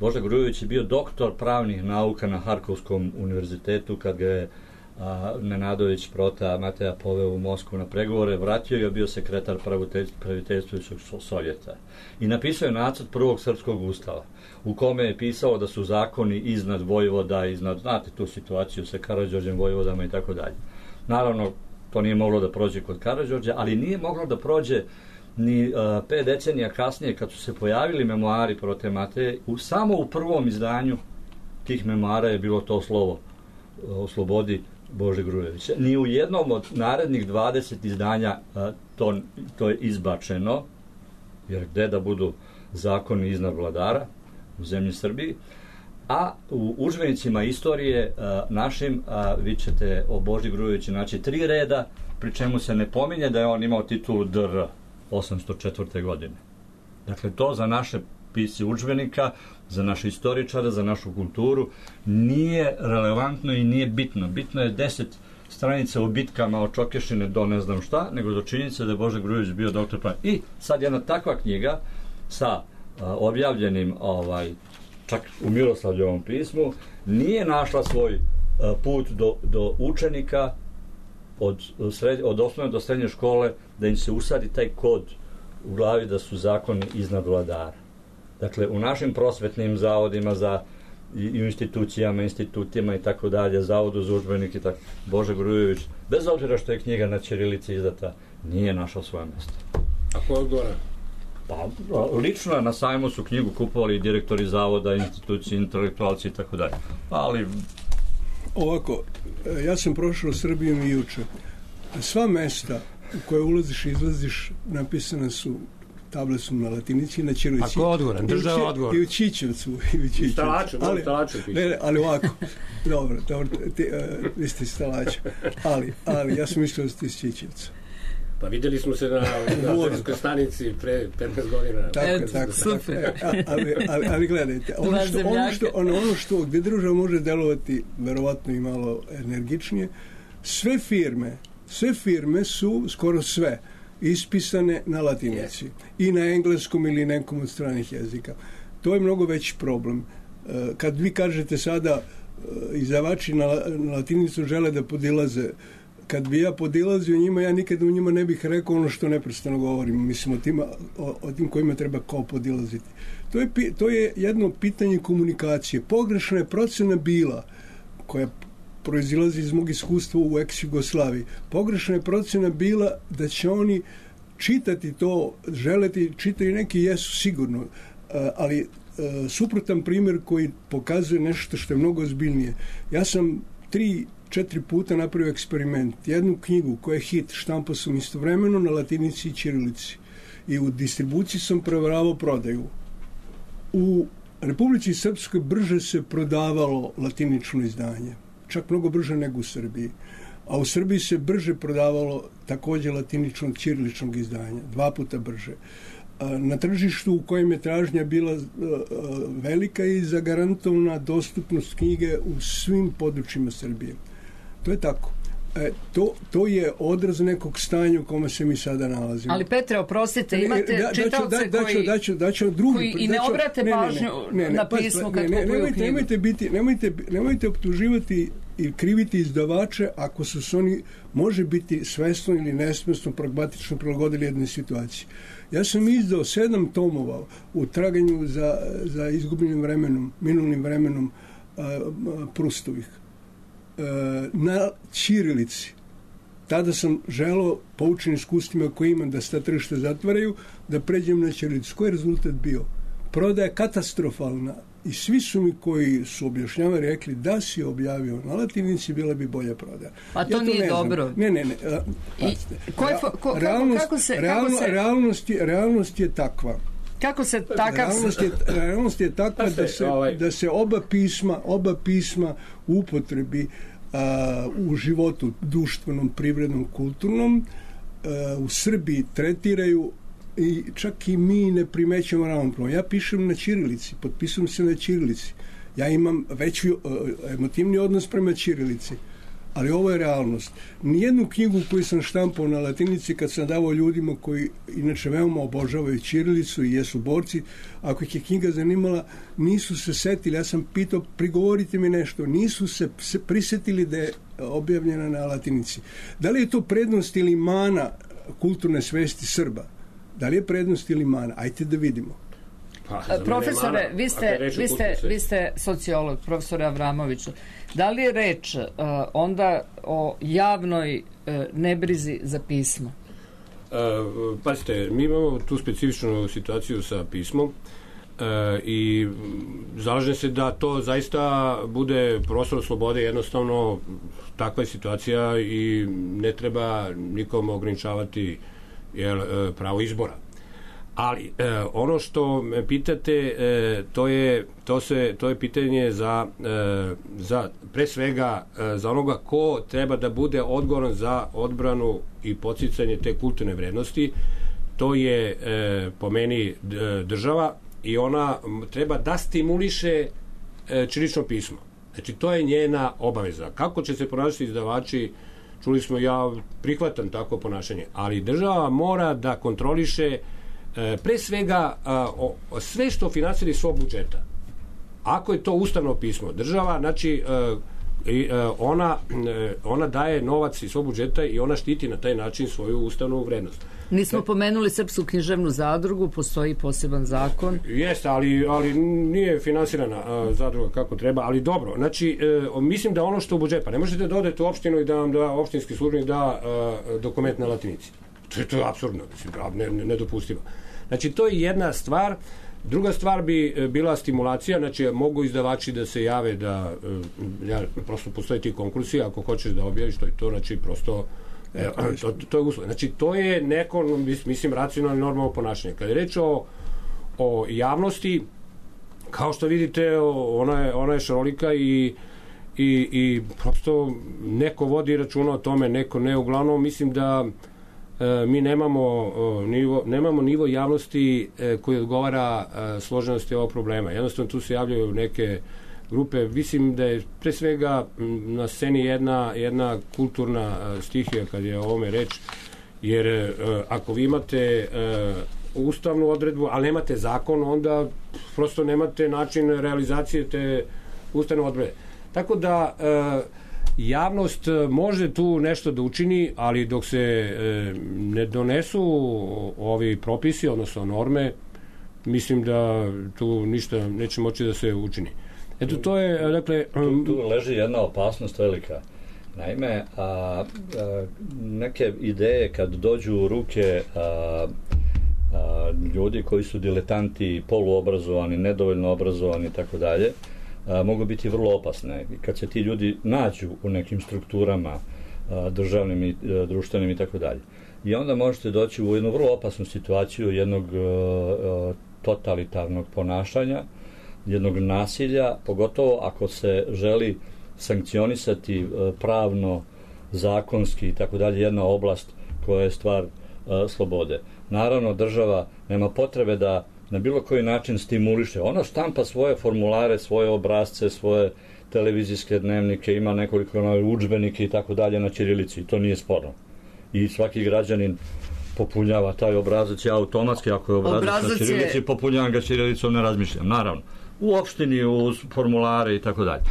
S5: Bože Grujević je bio doktor pravnih nauka na Harkovskom univerzitetu kad ga je Nenadović Prota Mateja poveo u Moskvu na pregovore, vratio je, bio sekretar praviteljstvujućeg Sovjeta i napisao je nacrt prvog srpskog ustava u kome je pisao da su zakoni iznad vojvoda, znate tu situaciju sa Karađorđem vojvodama i tako dalje. Naravno, to nije moglo da prođe kod Karađorđa, ali nije moglo da prođe ni 5 decenija kasnije kad su se pojavili memoari Prote Mateje, samo u prvom izdanju tih memoara je bilo to slovo o slobodi Bože Grujevića. Ni u jednom od narednih 20 izdanja to je izbačeno, jer gde da budu zakoni iznad vladara u zemlji Srbiji, a u udžbenicima istorije našim vi ćete o Boži Grujeviću naći 3 reda, pri čemu se ne pominje da je on imao titulu dr. 804. godine. Dakle, to za naše pisci udžbenika, za naše istoričare, za našu kulturu nije relevantno i nije bitno. Bitno je 10 stranica u bitkama od Čokešine do ne znam šta, nego do činjenice da je Bože Grujević bio doktor prava. I sad jedna takva knjiga sa objavljenim čak u Miroslavljevom pismu nije našla svoj put do učenika od osnovne do srednje škole, da im se usadi taj kod u glavi da su zakoni iznad vladara. Dakle, u našim prosvetnim zavodima i u institutima i tako dalje, zavodu za udžbenike, tako, Bože Grujević, bez obzira što je knjiga na ćirilici izdata, nije našao svoje mjesto.
S3: A ko odgovara?
S5: Pa, lično na sajmu su knjigu kupovali i direktori zavoda, institucije, intelektualci i tako dalje. Ali...
S4: Ovako, ja sam prošao Srbijom i juče. Sva mesta u koje ulaziš i izlaziš napisane su, table su na latinici i na ćirilici.
S3: A ko odgovoran? Država odgovor.
S4: I u Čičevcu.
S3: I Stalaču, piše.
S4: Ali ovako, dobro, vi ste iz Stalača. Ali, ja sam mislio da ste iz Čičevca.
S3: Pa vidjeli smo se na željezničkoj stanici pre 15 godina.
S4: Tako. Super. Ali gledajte, ono što gdje država može delovati verovatno i malo energičnije, sve firme su, skoro sve, ispisane na latinici i na engleskom ili nekom od stranih jezika. To je mnogo veći problem. Kad vi kažete sada izdavači na latinicu žele da podilaze, kad bi ja podilazio njima, ja nikad u njima ne bih rekao ono što neprestano govorim. Mislim o tim kojima treba kao podilaziti. To je jedno pitanje komunikacije. Pogrešna je procena bila, koja proizilazi iz mog iskustva u ex-Jugoslaviji. Pogrešna je procena bila da će oni čitati to, želeti, čitaju neki jesu sigurno, ali suprotan primjer koji pokazuje nešto što je mnogo ozbiljnije. Ja sam 3-4 puta napravio eksperiment. Jednu knjigu koja je hit, štampao sam istovremeno na latinici i ćirilici. I u distribuciji sam provjeravao prodaju. U Republici Srpskoj brže se prodavalo latinično izdanje. Čak mnogo brže nego u Srbiji. A u Srbiji se brže prodavalo također latiničnog ćiriličnog izdanja. 2 puta brže. Na tržištu u kojem je tražnja bila velika i zagarantovana dostupnost knjige u svim područjima Srbije. To je tako. To je odraz nekog stanja u kome se mi sada nalazimo.
S2: Ali Petre, oprostite, imate čitaoce koji i ne obrate pažnju na pismo kad kupuju knjigu.
S4: Nemojte optuživati i kriviti izdavače ako su se oni, može biti svesno ili nesvesno, pragmatično prilagodili jednoj situaciji. Ja sam izdao 7 tomova u traganju za izgubljenim vremenom, minulnim vremenom Prustovih na ćirilici. Tada sam želeo, poučen iskustvima koje imam, da se ta tržišta zatvaraju, da pređem na ćirilicu. Koji je rezultat bio? Prodaja katastrofalna i svi su mi koji su objašnjavali rekli da si objavio na latinici, bila bi bolja prodaja.
S2: A to nije dobro.
S4: Ne. Realnost je takva.
S2: Kako se takav...
S4: Realnost je takva da se oba pisma u upotrebi u životu društvenom, privrednom, kulturnom u Srbiji tretiraju i čak i mi ne primećujemo ravnopravno. Ja pišem na ćirilici, potpisujem se na ćirilici. Ja imam veći emotivni odnos prema ćirilici, ali ovo je realnost. Nijednu knjigu koju sam štampao na latinici, kad sam davao ljudima koji inače veoma obožavaju ćirilicu i jesu borci, ako ih je knjiga zanimala, nisu se setili. Ja sam pitao, prigovorite mi nešto. Nisu se prisetili da je objavljena na latinici. Da li je to prednost ili mana kulturne svesti Srba? Da li je prednost ili mana? Ajte da vidimo.
S2: Profesore, vi ste sociolog, profesore Avramoviću. Da li je reč onda o javnoj nebrizi za pismo?
S3: Pazite, mi imamo tu specifičnu situaciju sa pismom i zalažem se da to zaista bude prostor slobode. Jednostavno takva je situacija i ne treba nikom ograničavati pravo izbora. Ali ono što me pitate, to je pitanje za pre svega za onoga ko treba da bude odgovoran za odbranu i podsticanje te kulturne vrednosti. To je po meni država i ona treba da stimuliše ćirilično pismo. Znači to je njena obaveza. Kako će se ponašati izdavači, čuli smo, ja prihvatam tako ponašanje, ali država mora da kontroliše pre svega sve što finansira iz svog budžeta. Ako je to ustavno pismo, država, znači ona daje novac iz svog budžeta i ona štiti na taj način svoju ustavnu vrednost.
S2: Nismo pomenuli Srpsku književnu zadrugu, postoji poseban zakon.
S3: Jeste, ali nije finansirana zadruga kako treba, ali dobro. Znači, mislim da ono što u budžet, pa ne možete da odete u opštinu i da vam da opštinski službenik da dokument na latinici. To je apsurdno, nedopustivo. Znači, to je jedna stvar. Druga stvar bi bila stimulacija, znači mogu izdavači da se jave da prosto postoje ti konkursi, ako hoćeš da objaviš, to je to, znači prosto to je uslov. Znači, to je neko, mislim, racionalno i normalno ponašanje. Kada je reč o javnosti, kao što vidite, ona je šarolika i prosto neko vodi računa o tome, neko ne. Uglavnom, mislim da mi nemamo nivo javnosti koji odgovara složenosti ovog problema. Jednostavno tu se javljaju neke grupe. Mislim da je pre svega na sceni jedna kulturna stihija kad je o ovome reč, jer ako vi imate ustavnu odredbu, ali nemate zakon, onda prosto nemate način realizacije te ustavne odredbe. Tako da javnost može tu nešto da učini, ali dok se ne donesu ovi propisi, odnosno norme, mislim da tu ništa neće moći da se učini. Eto, to je, dakle...
S5: Tu leži jedna opasnost velika. Naime, neke ideje kad dođu u ruke ljudi koji su diletanti, poluobrazovani, nedovoljno obrazovani i tako dalje, mogu biti vrlo opasne. Kad se ti ljudi nađu u nekim strukturama državnim i društvenim i tako dalje. I onda možete doći u jednu vrlo opasnu situaciju jednog totalitarnog ponašanja, jednog nasilja, pogotovo ako se želi sankcionisati pravno, zakonski i tako dalje jedna oblast koja je stvar slobode. Naravno, država nema potrebe da na bilo koji način stimuliše. Ona štampa svoje formulare, svoje obrazce, svoje televizijske dnevnike, ima nekoliko udžbenike i tako dalje na ćirilici. To nije sporno. I svaki građanin popunjava taj obrazac. Ja automatski, ako je obrazac na ćirilici, popunjavam ga ćirilicom, ne razmišljam. Naravno. U opštini, u formulare i tako dalje.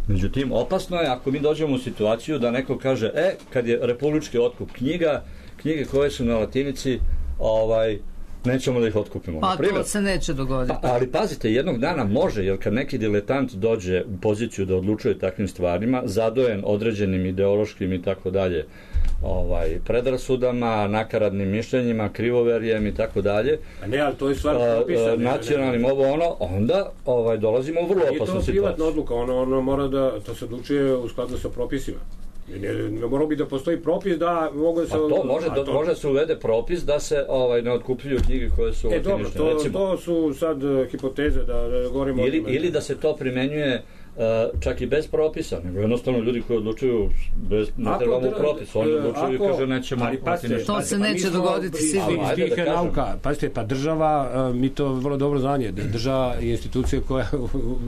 S5: Međutim, opasno je ako mi dođemo u situaciju da neko kaže, kad je republički otkup knjige koje su na latinici, nećemo da ih otkupimo.
S2: Pa to se neće dogoditi.
S5: Ali pazite, jednog dana može, jer kad neki diletant dođe u poziciju da odlučuje takvim stvarima, zadojen određenim ideološkim i tako dalje predrasudama, nakaradnim mišljenjima, krivoverjem i tako dalje,
S3: ali to je stvar propisa,
S5: nacionalnim onda dolazimo u vrlo opasnu situaciju.
S3: Je to privatna odluka, ono mora da to se odlučuje u skladu sa propisima. Ne mora bi da postoji propis da mogu se...
S5: može se uvede propis da se ne otkupljuju knjige koje su latinične.
S3: Dobro, to su sad hipoteze da govorimo...
S5: Ili da se to primenjuje čak i bez propisa, nego jednostavno ljudi koji odlučuju ne trebamo propis, oni odlučuju i kaže nećemo latinične.
S2: To se neće dogoditi sigurno.
S3: Pazite, pa država, mi to vrlo dobro znanje, država je institucija koja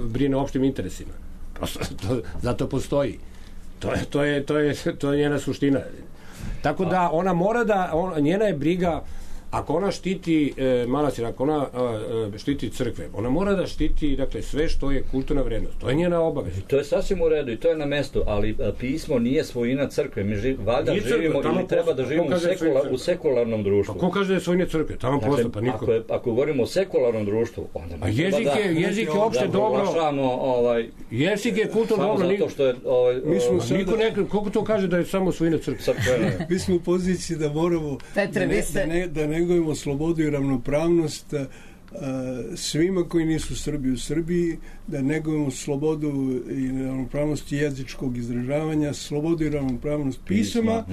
S3: brine o opštim interesima. Zato postoji. To je njena suština. Tako da ona mora njena je briga, ako ona štiti manastir, ako ona štiti crkve, ona mora da štiti sve što je kulturna vrednost. To je njena obaveza.
S5: To je sasvim u redu i to je na mestu, ali pismo nije svojina crkve. Mi valjda živimo ili treba da živimo u sekularnom društvu.
S3: Pa ko kaže da je svojina crkve? Tamo posto, pa niko.
S5: Ako govorimo o sekularnom društvu, onda
S3: mi jezik je opšte dobro. Jezik je kulturno dobro.
S5: Zato što je...
S3: Koliko to kaže da je samo svojina crkve?
S4: Mi smo u poziciji da moramo da negujemo slobodu i ravnopravnost svima koji nisu Srbi u Srbiji, da negujemo slobodu i ravnopravnost jezičkog izražavanja, slobodu i ravnopravnost pisama,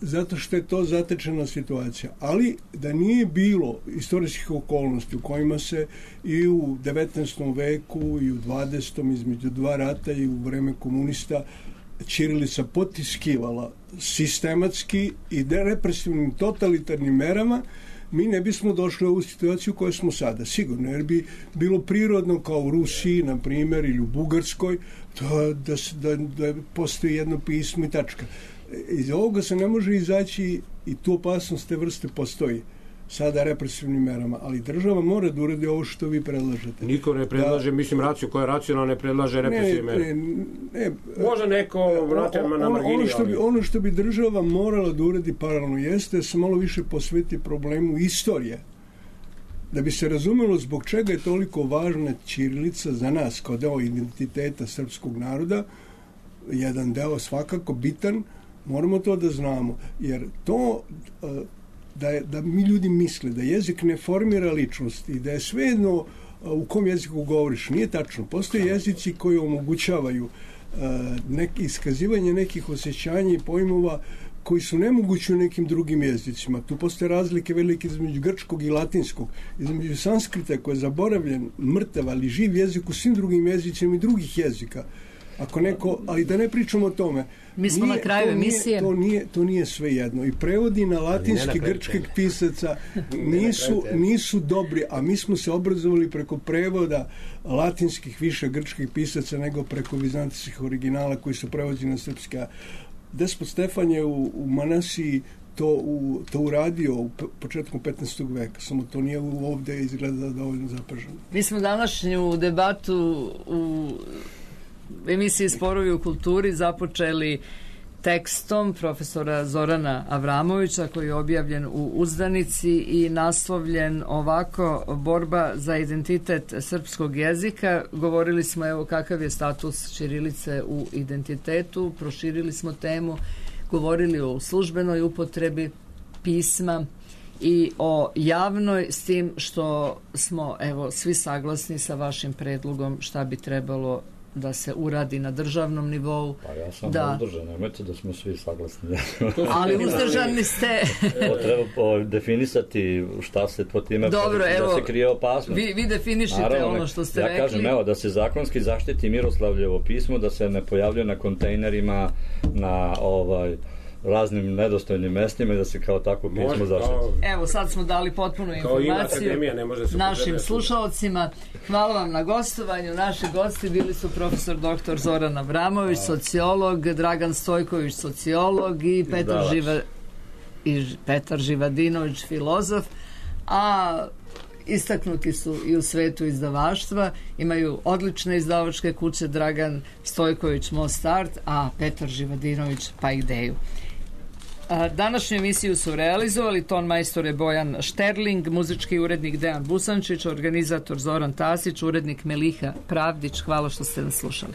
S4: zato što je to zatečena situacija. Ali da nije bilo istorijskih okolnosti u kojima se i u 19. veku i u 20. između dva rata i u vreme komunista ćirilica potiskivala sistematski i represivnim totalitarnim merama, mi ne bismo došli u ovu situaciju u kojoj smo sada, sigurno, jer bi bilo prirodno kao u Rusiji, na primjer, ili u Bugarskoj, da postoji jedno pismo i tačka. Iz ovoga se ne može izaći i tu opasnost te vrste postoji sada represivnim merama, ali država mora da uradi ovo što vi predlažete.
S3: Niko ne predlaže, koja je racionalna ne predlaže represivne mere. Može neko vratiti na margini.
S4: Ono što bi država morala da uradi paralelno jeste da se malo više posveti problemu istorije. Da bi se razumelo zbog čega je toliko važna ćirilica za nas kao deo identiteta srpskog naroda, jedan deo svakako bitan, moramo to da znamo, jer to... Da mi ljudi misle da jezik ne formira ličnost i da je svejedno u kom jeziku govoriš, nije tačno. Postoje jezici koji omogućavaju iskazivanje nekih osjećanja i pojmova koji su nemogući u nekim drugim jezicima. Tu postoje razlike velike između grčkog i latinskog, između sanskrita koji je zaboravljen, mrtav, ali živ jezik u svim drugim jezicima i drugih jezika. Ali da ne pričamo o tome.
S2: Mi smo na kraju emisije.
S4: To nije sve jedno. I prevodi na latinski grčkih pisaca nisu dobri, a mi smo se obrazovali preko prevoda latinskih više grčkih pisaca nego preko vizantijskih originala koji su prevođeni na srpski. Despot Stefan je u Manasiji to uradio u početku 15. veka, samo to nije ovde izgleda dovoljno zapaženo.
S2: Mi smo današnju debatu u emisiji Sporovi u kulturi započeli tekstom profesora Zorana Avramovića koji je objavljen u Uzdanici i naslovljen ovako: Borba za identitet srpskog jezika. Govorili smo kakav je status ćirilice u identitetu, proširili smo temu, govorili o službenoj upotrebi pisma i o javnoj, s tim što smo svi saglasni sa vašim predlogom šta bi trebalo da se uradi na državnom nivou.
S5: Pa ja sam uzdržan, nemojte da smo svi saglasni.
S2: Ali uzdržani ste.
S5: Treba definisati šta se po time, da se krije opasnost.
S2: Vi definišite ono što ste rekli.
S5: Ja kažem, da se zakonski zaštiti Miroslavljevo pismo, da se ne pojavljuje na kontejnerima, na raznim nedostojnim mestima i da se kao tako pismo zaštiti.
S2: Sad smo dali potpunu informaciju našim slušalcima. Hvala vam na gostovanju. Naši gosti bili su profesor dr. Zoran Avramović, sociolog, Dragan Stojković, sociolog i Petar Živadinović, filozof. A istaknuti su i u svetu izdavaštva, imaju odlične izdavačke kuće, Dragan Stojković Most Art, a Petar Živadinović pa Ideju. Današnju emisiju su realizovali ton majstore Bojan Šterling, muzički urednik Dejan Busančić, organizator Zoran Tasić, urednik Meliha Pravdić. Hvala što ste nas slušali.